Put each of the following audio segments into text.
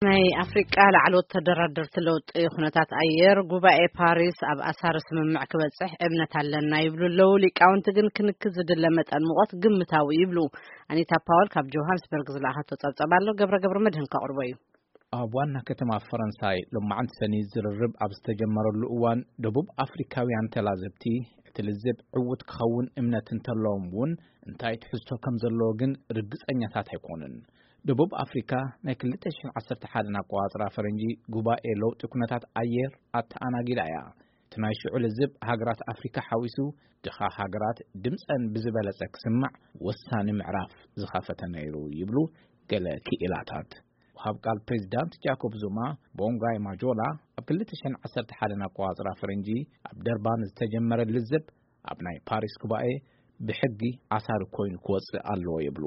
ናይ ኣፍሪቃ ላዕለዎት ተደራደርቲ ለውጢ ኩነታት ኣየር ጉባኤ ፓሪስ ኣብ ኣሳሪ ስምምዕ ክበጽሕ እምነት ኣለና ይብሉ ኣለዉ። ሊቃውንቲ ግን ክንክን ዝድለ መጠን ሙቐት ግምታዊ ይብሉ። ኣኒታ ፓወል ካብ ጆሃንስበርግ ዝለኣኸቶ ጸብጸብ ኣሎ። ገብረ ገብረ መድህን ከቕርቦ እዩ። ኣብ ዋና ከተማ ፈረንሳይ ሎማዓንቲ ሰኒ ዝርርብ ኣብ ዝተጀመረሉ እዋን፣ ደቡብ ኣፍሪካውያን ተላዘብቲ እቲ ልዝብ ዕዉት ክኸውን እምነት እንተለዎም እውን፣ እንታይ ትሕዝቶ ከም ዘለዎ ግን ርግጸኛታት ኣይኮኑን። ደቡብ ኣፍሪካ ናይ ክልተ ሽሕን ዓሰርተ ሓደን ኣቆጻጽራ ፈረንጂ ጉባኤ ለውጢ ኩነታት ኣየር ኣተኣናጊዳ እያ። እቲ ናይ ሽዑ ልዝብ ሃገራት ኣፍሪካ ሓዊሱ፣ ድኻ ሃገራት ድምፀን ብዝበለጸ ክስማዕ ወሳኒ ምዕራፍ ዝኸፈተ ነይሩ ይብሉ ገለ ክኢላታት። ወሃብ ቃል ፕሬዚዳንት ጃኮብ ዙማ፣ ቦንጋይ ማጆላ፣ ኣብ ክልተ ሽሕን ዓሰርተ ሓደን ኣቆጻጽራ ፈረንጂ ኣብ ደርባን ዝተጀመረ ልዝብ ኣብ ናይ ፓሪስ ጉባኤ ብሕጊ ኣሳሪ ኮይኑ ክወጽእ ኣለዎ ይብሉ።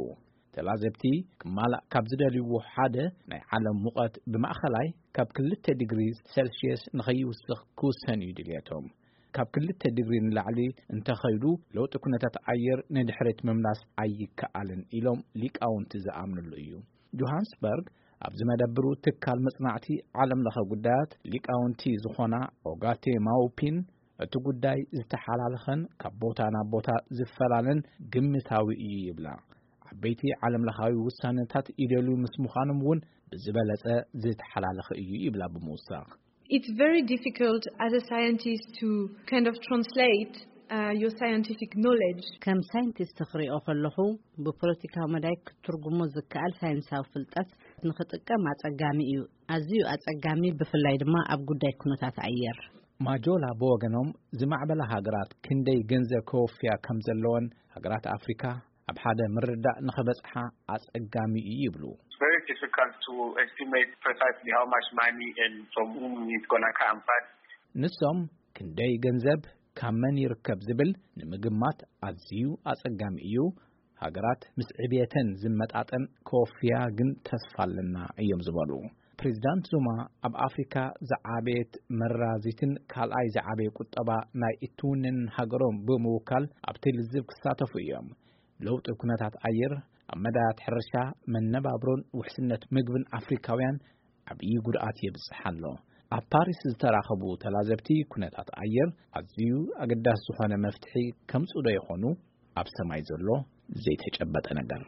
ተላዘብቲ ክማላእ ካብ ዝደልይዎ ሓደ፣ ናይ ዓለም ሙቐት ብማእኸላይ ካብ ክልተ ዲግሪ ሴልሽየስ ንኸይውስኽ ክውሰን እዩ ድልየቶም። ካብ ክልተ ዲግሪ ንላዕሊ እንተኸይዱ፣ ለውጢ ኩነታት ኣየር ንድሕሪት ምምላስ ኣይከኣልን ኢሎም ሊቃውንቲ ዝኣምንሉ እዩ። ጆሃንስበርግ ኣብ ዝመደብሩ ትካል መጽናዕቲ ዓለም ለኸ ጉዳያት ሊቃውንቲ ዝኾና ኦጋቴ ማውፒን፣ እቲ ጉዳይ ዝተሓላለኸን ካብ ቦታ ናብ ቦታ ዝፈላለን ግምታዊ እዩ ይብላ። ዓበይቲ ዓለም ለኻዊ ውሳነታት ይደልዩ ምስ ምዃኖም እውን ብዝበለጸ ዝተሓላለኸ እዩ ይብላ ብምውሳኽ። It's very difficult as a scientist to kind of translate uh, your scientific knowledge. ከም ሳይንቲስት ክሪኦ ከለኹ፣ ብፖለቲካዊ መዳይ ክትትርጉሞ ዝከኣል ሳይንሳዊ ፍልጠት ንኽጥቀም ኣጸጋሚ እዩ። ኣዝዩ ኣጸጋሚ፣ ብፍላይ ድማ ኣብ ጉዳይ ኩነታት ኣየር። ማጆላ ብወገኖም፣ ዝማዕበላ ሃገራት ክንደይ ገንዘብ ከወፍያ ከም ዘለወን፣ ሃገራት ኣፍሪካ ኣብ ሓደ ምርዳእ ንኸበጽሓ ኣጸጋሚ እዩ ይብሉ። It's very difficult to estimate precisely how much money and from whom it's gonna come, but ንሶም፣ ክንደይ ገንዘብ ካብ መን ይርከብ ዝብል ንምግማት ኣዝዩ ኣጸጋሚ እዩ። ሃገራት ምስ ዕብየተን ዝመጣጠን ከወፍያ ግን ተስፋ ኣለና እዮም ዝበሉ። ፕሬዚዳንት ዙማ፣ ኣብ ኣፍሪካ ዝዓበየት መራዚትን ካልኣይ ዝዓበየ ቁጠባ ናይ እትውንን ሃገሮም ብምውካል ኣብቲ ልዝብ ክሳተፉ እዮም። ለውጢ ኩነታት ኣየር ኣብ መዳያት ሕርሻ፣ መነባብሮን ውሕስነት ምግብን ኣፍሪካውያን ዓብዪ ጉድኣት የብፅሕ ኣሎ። ኣብ ፓሪስ ዝተራኸቡ ተላዘብቲ፣ ኩነታት ኣየር ኣዝዩ ኣገዳሲ ዝኾነ መፍትሒ ከምፅኡ ዶ ይኾኑ? ኣብ ሰማይ ዘሎ ዘይተጨበጠ ነገር።